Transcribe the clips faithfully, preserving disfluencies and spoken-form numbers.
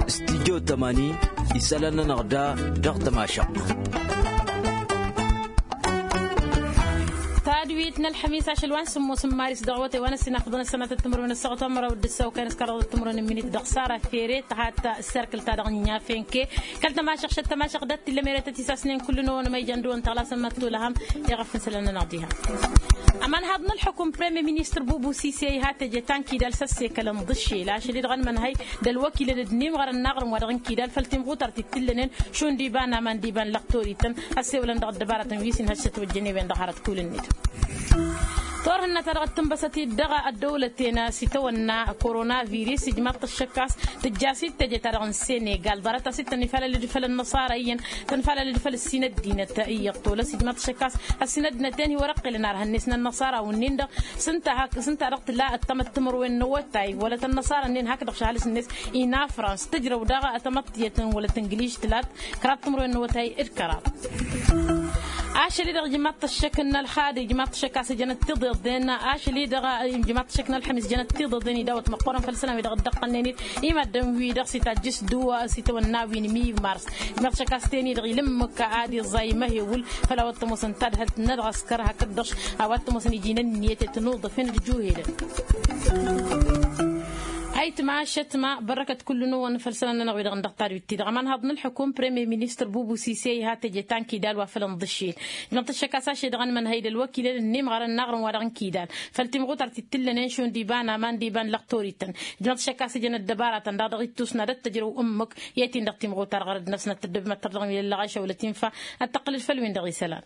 Stidyo tămani isălan-nănăɣ da dăɣ-tămašăɣt. Tadwit n-ălxămis ašăl wa n-sǝmmos n-maris dăɣ-awătay wa n-ăssinafăḍăn ăssănatăt timǝrwen ăssaɣăt wa n-măraw d-ǝssaw kayăn s-kăraḍăt timǝrwen n-minit dăɣ-sara fere tăhat s-erkǝl-ta-dăɣ n-inyafenke. Kăl-tămašăɣt šăt tămašăɣt dat-t illa meretăt isasnen kull-năwăn ma ijan dăwăn tăɣlasăn măttolăhăm. Iɣăf n-isălan-nănăɣ diha. Ămanhaḍ n-ălxukum premier ministăr bubu sise iha teje ta n-kidal s-ăssekălăn d-ǝššel ašăl-i-dăɣ ănmănhăy d-ălwăkilăn d-inimɣărăn n-aɣrǝm-wa-dăɣ n-kidal făll-timɣutart t-tǝllănen šund iba n-aman d-iba n-lăqtorităn. Ăssewălăn dăɣ-ăddăbaratăn wi s-inhăj s-ătwăjjăn i-wen-dăɣ hărăt kul-net. Turhǝnna-ta-dăɣ d-tǝnbăsăt-dd dăɣ-ăddăwlăten s-itawănna koronaviris ijmaḍ-t ăššăk a-s tǝjjas-dd teje-ta-dăɣ n-senegal ḍarăt-as-dd tănifalăl-dd făll-ănnăṣara iyyăn. Tănfalăl-dd făll-ăssin ăddinăt iyyăḍ tolăs ijmaḍ-t ăššăk a-s ăssin ăddinăt-en hi-wăr-ăqqilăn arhăn-net n-ănnăṣara wǝnnin-dăɣ. S-ǝnta hak s-ǝnta-dăɣ tǝla ăttămăt timǝrwen n-awătay wălăt ănnăṣara-nin hakdăɣ šahălǝs-net. Inafrans tǝjrăw daɣ ătămăḍtiyăt n-wălăt ǝngliž tǝlat kăraḍ timǝrwen n-awătay d-kăraḍ. Ašăl-i-dăɣ ijmaḍ-t ăššăk n-ălxad ijmaḍ-t ăššăk a-s jănăt tiḍeḍen ašăl-i-dăɣ ijmaḍ-t ăššăk n-ălxămis jănăt tiḍeḍen idawăt măqqoorăn făll-isălan-wi-dăɣ dd-ăqqălnen-dd. I-maddǝn wi-dăɣ s-itajjǝs dăw-a s-itawănna wi n-mi mars. Ijmaḍ-t ăššăk a-s ten-i-dăɣ ilǝmmǝk ad-iẓẓay măhewǝl făll-a-wa t-ămoosăn tadhǝlt n-ălɣăskăr hakd-dăɣ a-wa t-ămoosăn iji n-ǝnniyăt i-tănuḍăfen d-juhedăn. Ayǝtma ašătma bărrăkăt kull-năwăn făll-isălan-nănăɣ wi-dăɣ n-dăɣ tadwit-ti-dăɣ ămanhăḍ n-ălxukum premier ministăr bubu sise iha teje ta n-kidal wa făl ǝnḍǝššel. Ijmăḍ-t ăššăk a-s ašăl-i-dăɣ ănmănhăy d-ălwăkilăn ǝnnimɣărăn n-aɣrǝm-wa-dăɣ n-kidal făll-timɣutart t-tǝllănen šund iba n-aman d-iba n-lăqtorităn. Ijmăḍ-t ăššăk a-s ijăn ăddăbaratăn daɣ dăɣ-ittusna d-ăttăjrăw ǝmmǝk. I-ad-t-in-dăɣ timɣutar ɣărăd-năsnăt tăddăbmăt tărdăɣ n-ilălăɣ ašăwlăt infa ad-tăqqǝlăd făll-win-dăɣ isălan.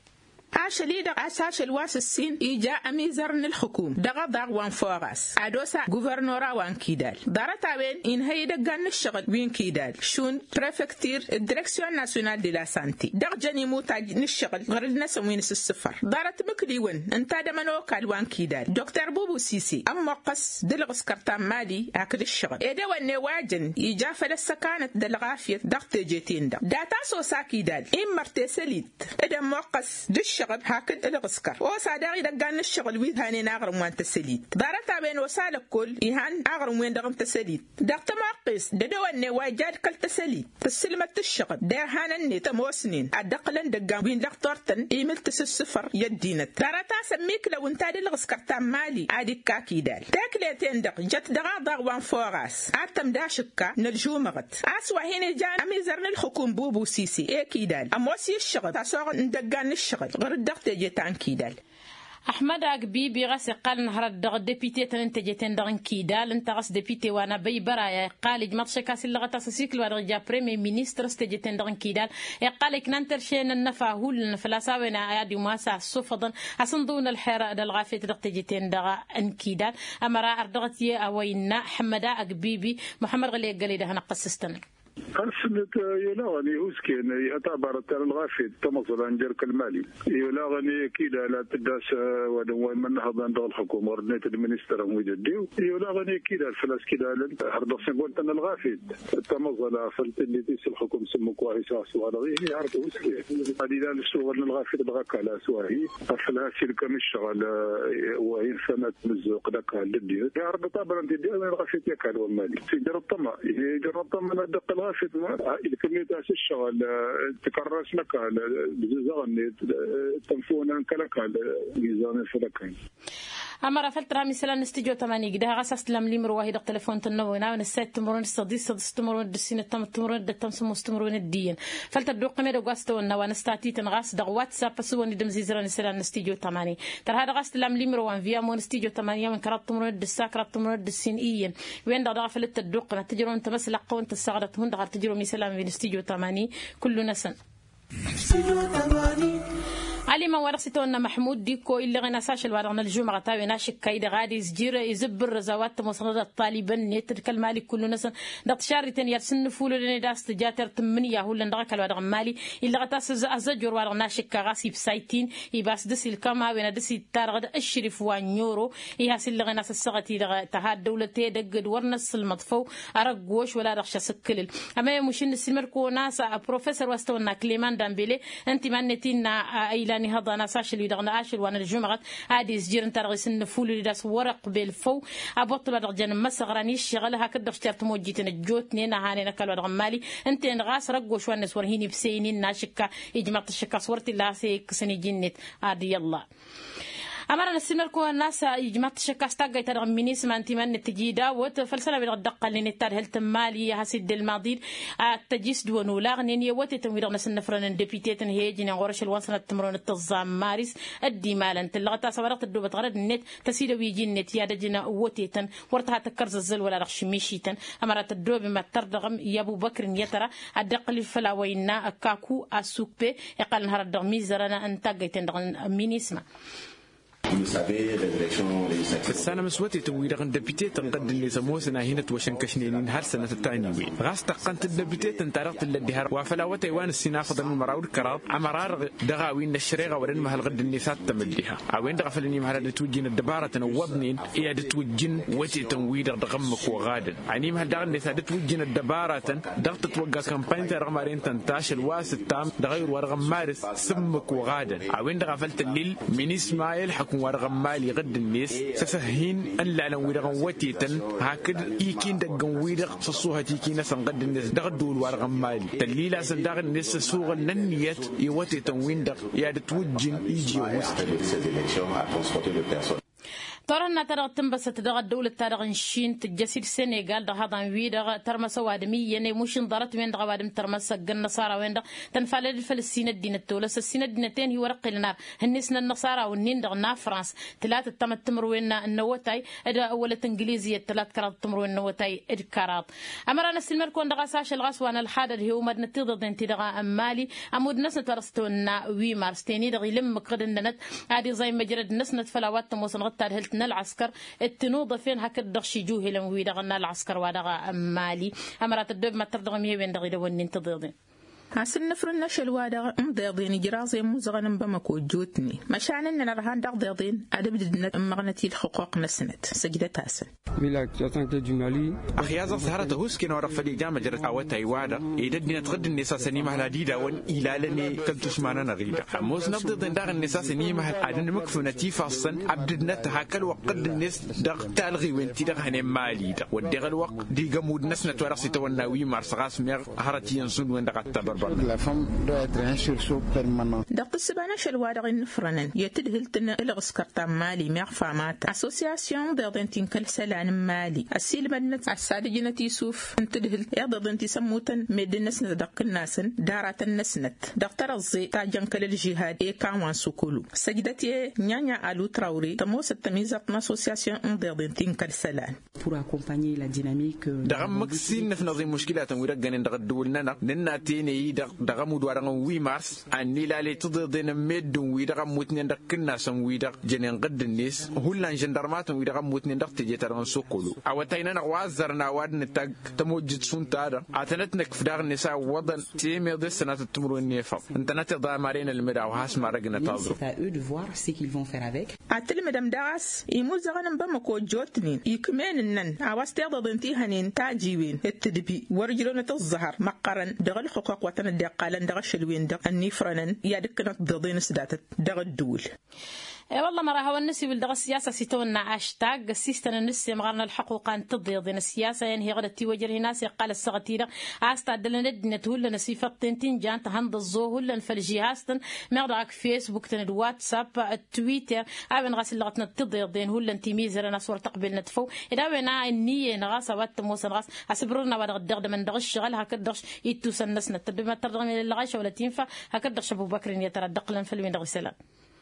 Ašăl-i-dăɣ a-s ašăl wa s-ǝssin ija ămizăr n-ǝlxǝkum dăɣ-aḍaɣ wa n-foras ad-osa guvernora wa n-kidal. Ḍarăt-a-wen inhăy idăggan n-ǝššăɣǝl wi n-kidal šund prefektir d-direksyon nasyonal de la sante dăɣ-jăn imutaj n-ǝššăɣǝl ɣǝrǝd-năsăn wi n-asǝssǝfăr ḍarăt imǝkliwăn ǝnta d-emănokal wa n-kidal dr bubu sise ămmoqqăs d-ǝlɣǝskăr ta n-mali hakd ǝššăɣǝl ed ewănne wa jăn ija făll-ăssăkanăt d-ălɣafyăt dăɣ-teje-ten-dăɣ data s-osa kidal immăr tesălit d-ămmoqqăs d-ǝššăɣǝl hakd ǝlɣǝskăr osa daɣ idăggan n-ǝššăɣǝl wi hanen aɣrǝm wa n-tăsălit ḍarăt-a-wen osa lăkkol ihan aɣrǝm-wen-dăɣ n-tăsălit dăɣ-tămoqqes d-edăwănne wa ija d-kăl-tăsălit tǝssǝlmăd-t ǝššăɣǝl derhan-net ămoosnen ad-dd-ăqqǝlăn idăggan wi n-lăxturtăn imǝl tasǝssǝfăr i-ăddinăt ḍarăt a-s ămmiklăw ǝnta d-ǝlɣǝskăr ta n-mali ad-ikka kidal tekle-ten-dăɣ jăt dăɣ-aḍaɣ wa n-foras ad-tămd ašǝkka n-ălžumăɣăt a-s wa hin-ijan ămizăr n-ǝlxǝkum bubu sise i-kidal ămoos i-ǝššăɣǝl tasoɣ n-idăggan n-ǝššăɣǝl ɣur-dd dăɣ-teje ta n-kidal. Ăxmăd agbibi ɣas iqqal ǝnhărăt dăɣ-depite-tăn n-teje-ten-dăɣ n-kidal ǝnta ɣas depite wa n-abăybăraya iqqal ijmăḍ šăkk a-s illăɣăt a-s ăsikǝl wa dăɣ-ija premier ministăr s-teje-ten-dăɣ n-kidal iqqal ikna n-terše n-ănnăfa hullan făl-a-s a-wen ad-imas a ăssufăḍăn asǝnḍǝw n-ălxer d-ălɣafyăt dăɣ-teje-ten-dăɣ n-kidal. Ămăra ar dăɣ-t-i a-wa innă ăxmăd agbibi muxămmăd ɣǝli eggălăy dăɣ-hanăɣ-tăssǝstăn. Ălsǝnnet i-olaɣăn ihusken ihăt abarăt ta n-ălɣafyăt tamăẓla n-jer-kăl-mali i-olaɣăn i-kidal ad-tǝddas wa dăɣ-wa immănnăhăḍăn dăɣ-ălxukum ɣur-net d-ministăr n-wi d-ăddiw i-olaɣăn i-kidal făl-a-s kidalăn har dăɣ-săngontăn n-ălɣafyăt tamăẓla făl tǝnnet i-s ălxukum s-ǝmmǝk wa hi-s a-s wa dăɣ-ihi har tǝwǝske ad-ilal ăššuɣǝl n-ălɣafyăt dăɣ-ăkall a-s wa hi-afăl has-ilkăm ǝššăɣǝl wa hin-sănăt mǝzzuɣ d-ăkall d-ăddinăt i-har dăɣ-tabarăn tiddi a-wen ălɣafyăt i-ăkall wa n-mali s-ijrăḍ tăma ihi ijrăḍ tăma n-ad-dăɣ-tălɣafyăt ma ilkăm-net a-s ǝššăɣǝl tǝkărras n-ăkall d-azǝzăɣ-net d-tănfuna n-kăl-ăkall. Izănen făll-ăkall. Ămăra făl-tărham isălan n-studyo tămani igdăh ɣas a-s tǝlam limro wa hi-dăɣ telefon-tăn n-ăwănawăn ǝssayăt timǝrwen d-săḍis săḍis timǝrwen d-ǝssin ăttămăt timǝrwen d-ăttăm sămmos timǝrwen d-iyyăn. Făl tădduqqǝm edăgg wa s-tawănna wa n-ăstatităn ɣas dăɣ-whatsapp ăsǝwăn-dd ǝmzizărăn isălan n-studyo tămani. Tărha dăɣ-a-s tǝlam limro wa n-viyamo n-studyo tămani a-wen kăraḍ timǝrwen d-ǝssa kăraḍ timǝrwen d-ǝssin iyyăn. Wen-dăɣ daɣ a făl dd-tădduqqǝm ad-tǝjrăwăn tamăslăqqăwăn tăssaɣdăt hundăɣ har tǝjrăwăm isălan wi n-studyo tămani. Kullu-năsăn. Alimăn wa dăɣ-s itawănna măḥmud dikko illăɣen a-s ašăl wa dăɣ-nălžumăɣăt a-wen ašǝkka i-dăɣ ad-izjǝr izǝbbǝrrăz a-wa t-ămoosănăt ăṭṭalibăn-net d-kăl-mali kullu-năsăn. Dăɣ-tišarriten i-ad-sǝnnǝfulădăn ed a-s tǝja tertǝmmǝnǝya hullan dăɣ-ăkall wa dăɣ-n mali. Illăɣăt a-s ăzzăjor wa dăɣ-našǝkka ɣas ibsaytin ibas dăr-s ilkăm a-wen ad-dăr-s ittarăɣ d-ǝššǝrǝf wa n-oro. Iha s-illăɣen a-s ăssaɣăt-i-dăɣ tăha ăddăwlăt edăgg d-wăr năssǝlmăḍ făw. Arăggoš wăla dăɣ-ša s-ǝkkǝlǝl. Ămăyăm ušǝnnǝs ilmăd-kăwăn a-s professor wa s-tăwănna clement dambele. Ǝnta iman-net innă a ilan. Ihăḍan a-s ašăl-wi-dăɣ n-ašăl wa n-ălžumăɣăt ad-izjir ǝnta-dăɣ isǝnnǝfulǝl-dd a-s wăr-iqbel făw. Abwăṭṭǝl-wa-dăɣ jăn n-imăsăɣra n-iššăɣǝl hakd-dăɣ s-tertămojjiten ăjjootnen a hanen ăkall-wa-dăɣ n-imali. Ǝnta-en ɣas răggoš wa-net wăr hin-ibseynen n-ašǝkka. Ijmaḍ-t ăššăk a-s wăr t-illa a-s e-ikkǝsăn iji-net. Ad-i-ăllah. Ămăra n-ăssiilmăd-kăwăn n-a-s ijmaḍ-t ăššăk a-s taggayt-ta-dăɣ n-minisma ǝnta iman-net tǝji dawăt făll-isălan-wi-dăɣ dd-ăqqălnen d-tadhǝlt n-imali a-s dd-ălmaḍ-dd. Ad-tăj-s d-wăn olaɣnen i-awătetăn-wi-dăɣ n-asǝnnăfrăn n-depite-tăn he-ijnen ɣur-ašăl wa n-sănat timǝrwen d-tǝẓẓa n-maris. Dd-imalăn tǝllăɣăt a-s a-wa dăɣ-tăddoobăt ɣărăd-net tăsidăw iji-net i-ad-ăjǝn awătetăn. Wăr tăha tăkkărzăzzăl wăla dăɣ-šǝmišităn. Ămăra tăddoobem ad-tărdăɣăm i-abubăkr n-i-tăra ad-dd-iqqǝl făll-a-wa innă kaku asukpe iqqălăn hărăt dăɣ-mizărăn n-taggăyten dăɣ-minisma. Tǝssanăm s-wătetăn-wi-dăɣ n-dăbitetăn ɣǝdd-net ămoosăn a hin-ătwăšănkăšnen-in har sănătăt taniwen ɣas tăqqăn-t dd-dăbitetăn-ta-dăɣ tǝllăt diha wa făll-awătay wa n-ǝssin afăḍăn n-măraw d-kăraḍ. Ămăra-dăɣ dăɣ-a-wen n-ăššăreɣa wăr-ănmăhăl ɣǝdd-net ad-tămăddiha. A-wen-dăɣ a făl ănimăhăl ad-ǝtwǝjjǝn ăddăbaratăn ăwwăḍnen i-ad-ǝtwǝjjǝn wătetăn-wi-dăɣ dăɣ-ǝmmǝk oɣadăn. Ănimăhăl daɣ-net ad-ǝtwǝjjǝn ăddăbaratăn dăɣ-tătwăgga kămpany-ta-dăɣ maren tăn-ta ašăl wa s-ǝttam dăɣ-ayǝr wa dăɣ-ămmaris s-ǝmmǝk oɣadăn. A-wen-dăɣ a făl tăllil minisma i-ălxukǝm wa dăɣ-ămmali ɣǝdd-net s-ăsăhhin ǝllalăn-wi-dăɣ n-wătetăn hakd iki n-idăgg n-wi-dăɣ s-ăṣṣuhăt iki-năsăn ɣǝdd-net dăɣ-ăddǝwǝl wa dăɣ-ămmali tăllil-asăn daɣ-net s-ăsuɣǝl n-ǝnniyăt i-wătetăn-win-dăɣ i-ad-ǝtwǝjjǝn iji ăhuusăn. Turhǝnna-ta-dăɣ tǝnbăsăt dăɣ-ăddăwlăt-ta-dăɣ n-šin tǝjjăs-dd senegal dăɣ-ihăḍan-wi-dăɣ tărmăs ăwadǝm iyyăn i-mušǝnḍarăt-wen-dăɣ ăwadǝm tărmăs ăgg-ănnăṣara-wen-dăɣ. Tănfalăd-dd făll-ǝssin ăddinăt tolăs ǝssin ăddinăt-en hi-wăr-ǝqqǝlăn ar hǝnnis n-ănnăṣara-wǝnnin-dăɣ n-afrans tǝlatăt tamăttǝmrǝwen n-ăwătay d-wălăt ǝngliz iyyăt tǝlat kăraḍ tǝmrǝwen n-ăwătay d-kăraḍ. Ămăra n-ăssiilmăd-kăwăn dăɣ-a-s ašăl ɣas wa n-ălxadăd he-umadnăt tiḍeḍen-ti-dăɣ n-mali ămudd-năsnăt wa dăɣ-s tăwănna wi mars ten-i-dăɣ ila ǝmmǝk ɣǝd ǝnnănăt ad-iẓay măjrăd-năsnăt făll-a-wa t-ămoosăn ɣǝd tadhǝlt n-ălɣăskăr d-tinuḍăfen hakd-dăɣ šijuhǝlăn-wi-dăɣ n-ălɣăskăr wa dăɣ-mali. Ămăra tăddoobem ad-tărdăɣăm i-a-wen-dăɣ idăwănnen tiḍeḍen. Asǝnnǝfrǝn n-ašăl-wa-dăɣ n-iḍeḍen ijraẓ i-ămmuẓăɣăn n-bamăko ăjjootnen măšan ǝnnăn ărhan dăɣ-iḍeḍen ad-ǝbdǝdnăt ǝmmăɣnăt i-ǝlxǝquq-năsnăt. Săjdăt-asăn. Axyaẓ ăẓhărăt ăhuusken a-wa dăɣ-făl ija măjrăd awătay-wa-dăɣ ed ăddinăt ɣǝdd-net a-s ănimăhăl ad-idawăn ilalăn i-kăl-tušma-nănăɣ-i-dăɣ. Ămoosnăt tiḍeḍen daɣ-net a-s ănimăhăl ad-ănmǝkfǝnăt ifassăn ăbdǝdnăt hak ălwăqq ɣǝdd-net dăɣ-talɣiwen-ti-dăɣ hănen mali-dăɣ wădden ălwăqq d-igămud-năsnăt wa dăɣ-s itawănna wi mars ɣas meɣ hărăt iyyăn šund-wen-dăɣ ad-tabărbărnăt. Dăɣ-tǝssǝba n-ašăl-wa-dăɣ innǝfrănăn i-tǝdhǝlt n-ǝlɣǝskăr ta n-mali meɣ famata assosyasyon n-iḍeḍen ti n-kăl-isălan n-mali ăssiilmădnăt a-s ad-ǝjnăt isuf n-tǝdhǝlt iḍeḍen ti s-ămmutăn meddǝn-năsnăt dăɣ-kǝnnasăn d-aratăn-năsnăt dăɣ-tărăẓẓe ta jăn kăl-ălžihad i-kanwan sukulu. Săjdăt-e nya-nya alu trawre tămoosăt tămizărt n-assosyasyon n-iḍeḍen ti n-kăl-isălan. Dăɣ-ǝmmǝk s-innăfnăḍ i-muškilatăn wi d-ăggănen dăɣ-ăddǝwǝl-nănăɣ nǝnna tene-i-dăɣ dăɣ-ămudd-wa-dăɣ n-wi mars ad-nilale tiḍeḍen n-meddǝn-wi-dăɣ ămmutnen dăɣ-ikǝnnasăn-wi-dăɣ jănen ɣǝdd-net hullan žăndărmatăn-wi-dăɣ ămmutnen dăɣ-teje-ta-dăɣ n-sokolo. Awătay-nănăɣ wa ăzzărăn a-wa dd-nǝtagg tămojjit šund-ta-dăɣ ad-tănăt-nǝkf daɣ-net a ǝwwăḍăn temeḍe s-sănatăt timǝrwen n-efăḍ ǝntănăt iḍa maren ălmǝd a-wa has-marăgnăt aẓru. Ad-tǝlmǝdăm daɣ a-s imuzăɣăn n-bamăko ăjjootnen ikm'-en ǝnnăn a-wa s-tiḍeḍen ti hănen tajiwen d-tǝdbi wăr-ǝjrăwnăt ǝẓẓăhăr măqqărăn dăɣ-ǝlxǝqquq wa tăn-dd-iqqalăn dăɣ-ašăl-wen-dăɣ ănnifrănăn i-ad-ǝkkǝnăt tiḍeḍen s-datăt dăɣ-ǝddǝwǝl. E-wălla ămăra a hawăn-nǝsiwǝl dăɣ-ăssiyasa a-s itawănna ašta găssistăn n-ǝssemɣar n-ălxăquqa n-tiḍeḍen ăssiyasa-en heɣ d-ătiwăjrăh-in a-s iqqal ăssaɣăt-i-dăɣ a-s taddălăn ăddinăt hullan ăsifăṭṭen ti n-jan tăhănḍăẓẓo hullan făll-žihaz-tăn meɣ dăɣ-ak fesbuk-tăn d-whatsapp d-twitter a-wen ɣas illăɣătnăt tiḍeḍen hullan timizărăn a-s wăr tăqbelnăt făw. Ed a-wen a ǝnniyăn ɣas a-wa t-ămoosăn ɣas asǝbrǝrăn a-wa dăɣ-dd-iɣdămăn dăɣ-ǝššăɣǝl hakd-dăɣ ittusăn-năsnăt tăddoben ad-tărdăɣăm i-lălăɣayša wăla tinfa hakd-dăɣ šăbubăkr n-i-tăra dd-ăqqǝlăn făll-wen-dăɣ isălan.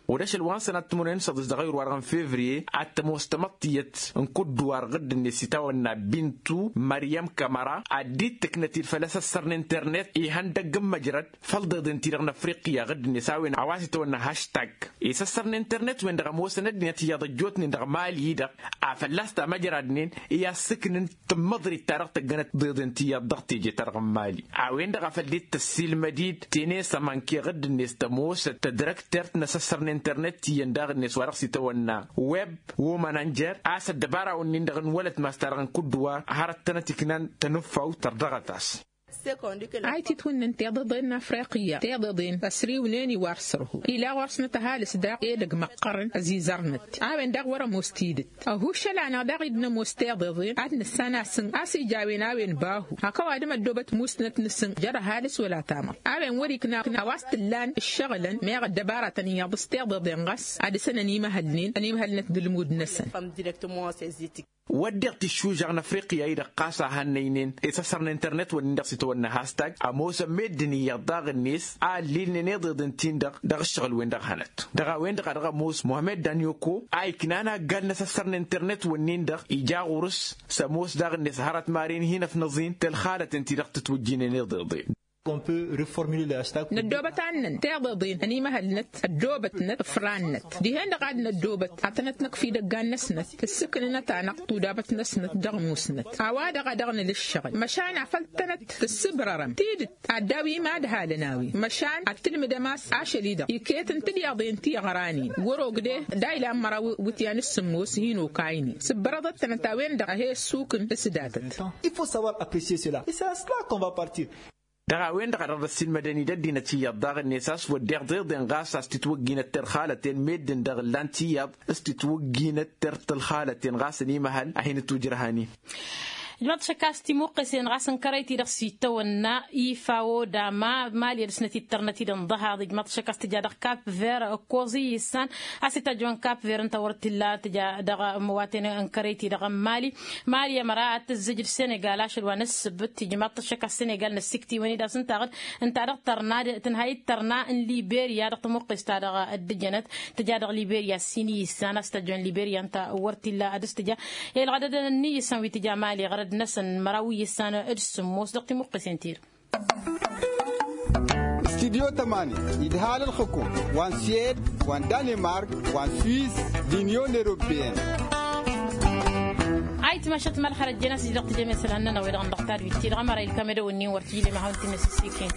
Ɣur-ašăl wa n-sănat timǝrwen n-săḍis dăɣ-ayǝr-wa-dăɣ n-fevriye ad-tămoos tamăḍt tiyyăt n-kuddǝwar ɣǝdd-net s-itawănna bintu măryăm kămăra ad-dd-tǝknăt-dd făll-asăssăr n-internet ihăndăgg n-măjrăd făll-iḍeḍen-ti-dăɣ n-afriqya ɣǝdd-net a-wen a-wa s-itawănna haštag. Isăssăr n-internet-wen-dăɣ ămoosăn ăddinăt iyyăḍ ăjjootnen dăɣ-mali-dăɣ a fălla-s tamăjradnen i-ad-sǝknǝn tǝmmăḍrit-ta-dăɣ tăggănăt tiḍeḍen ti iyyăḍ dăɣ-teje-ta-dăɣ n-mali. A-wen-dăɣ a făl dd-tăssiilmăd-dd tene s-amănke ɣǝdd-net tămoosăt tădrăktert n-asăssăr n-internet ti iyyăn daɣ-net wa dăɣ-s itawănna web womanănjer a-s ăddăbara-wǝnnin-dăɣ n-wălătmas-ta-dăɣ n-kuddǝwar hărăt tănăt-iknan tănǝffawt tărdăɣăt-as. A ititwǝnnǝn tiḍeḍen n-afriqya tiḍeḍen ăsriwnen iwar sărhu ila ɣur-snăt ăhalǝs daɣ edăgg măqqărăn ăzizărnăt. A-wen daɣ wăr-ămoos tidǝt ăhušăl-anăɣ daɣ-i d-nămoos tiḍeḍen ad-nǝssan asǝn a-s ija a-wen a-wen bahu hak ăwadǝm ăddoobăt musnăt-nǝsǝn jer-ăhalǝs wăla tamăḍt. A-wen wăr-ikna a-wa s-t-ǝllan ǝššăɣǝlăn meɣ ăddăbaratăn iyyăḍ s-tiḍeḍen ɣas ad-dăr-săn ănimăhălnen ănimăhălnăt d-ǝlmud-năsăn. Wădden tiššužăɣ n-afriqya-i-dăɣ ɣas a hannăynen isăssăr n-internet-wǝnnin-dăɣ s-itwănna hastag ămoosăn meddǝn iyyăḍ daɣ-net a ăllilnen iḍeḍen-tin-dăɣ dăɣ-ǝššăɣǝl-wen-dăɣ hănăt. Dăɣ-a-wen-dăɣ a dăɣ-ămoos muhămmed danyoko a iknan aggal n-asăssăr n-internet-wǝnnin-dăɣ ija ɣur-s s-ămoos daɣ-net hărăt maren hin-ăfnăẓ-in tălxalăten ti-dăɣ tǝtwǝjjinen iḍeḍen. Năddoobăt annăn tiḍeḍen ănimăhălnăt ăddoobătnăt ǝfrannăt dihen-dăɣ ad-năddoobăt ad-tănăt-năkf idăggan-năsnăt tǝssǝknǝnăt-anăɣ tudabăt-năsnăt dăɣ-musnăt. A-wa-dăɣ a dăɣ-nǝla ǝššăɣǝl măšan afăl tănăt-tǝssǝbrărăm tidǝt ad-daw-i mad-halăn a-wen măšan ad-tǝlmǝdăm a-s ašăl-i-dăɣ iket n-tilyaḍen ti ăɣranen wăr-ogde d-a ilan măraw iwǝtyan s-sǝmmos hin-okaynen sǝbbărăḍăt-tănăt a-wen-dăɣ a he-ăssukǝn s-datăt. Il faut savoir apprécier cela et c'est à cela qu'on va partir. Dăɣ-a-wen-dăɣ a dăɣ-dd-ăssiilmădăn idăddinăt iyyăḍ daɣ-net a-s wădden tiḍeḍen ɣas a-s titwǝgginăt terxalăten meddǝn-dăɣ ǝllan-t iyyăḍ s-titwǝgginăt tertălxalăten ɣas ănimăhăl a hin-ǝtwǝjrăhăn-in. Ijmaḍ-t ašăk a-s timuqqesen ɣas n-kărăy-ti-dăɣ s-ittăwănna ifa oda ma mali ad-dăr-snăt ittărnăt-dd ǝnḍăhaḍ ijmaḍ-t ašăk a-s tǝja dăɣ-kap ver ǝkkoẓ iyyǝssan a-s itajjăwăn kap ver ǝnta wăr t-illa tǝja dăɣ-măwaten n-kărăy-ti-dăɣ n-mali. Mali ămăra ad-tǝzzǝj d-senegal ašăl wa n-ǝssǝbǝt ijmaḍ-t ašăk a-s senegal n-ăssiktiwăn-dd a-s ǝnta a dăɣ-tărna tǝnha ittărna n-liberya dăɣ-tamuqqest-ta-dăɣ dd-ǝjănăt. Tǝja dăɣ-liberya s-sin iyyǝssan a-s tăjjăn liberya ǝnta wăr t-illa ad-dăr-s tǝja. Ilɣădădăn n-iyyǝssan wi tǝja mali ɣărăd-năsăn măraw iyyǝssan d-sǝmmos dăɣ-timuqqesen-ti-dăɣ. Studyo tămani idhal ǝlxǝkum wa n-suwed wa n-danimark wa n-swiss d-inyon europeyăn. Ayǝtmašăt mălxărăt jen a-s dd-dăɣ-tǝjăm isălan-nănăɣ wi-dăɣ n-dăɣ tadwit-ti-dăɣ ămăra ilkam edăw-ǝnnin wăr tǝjlem ad-hawăn-t-in-năsǝssiken.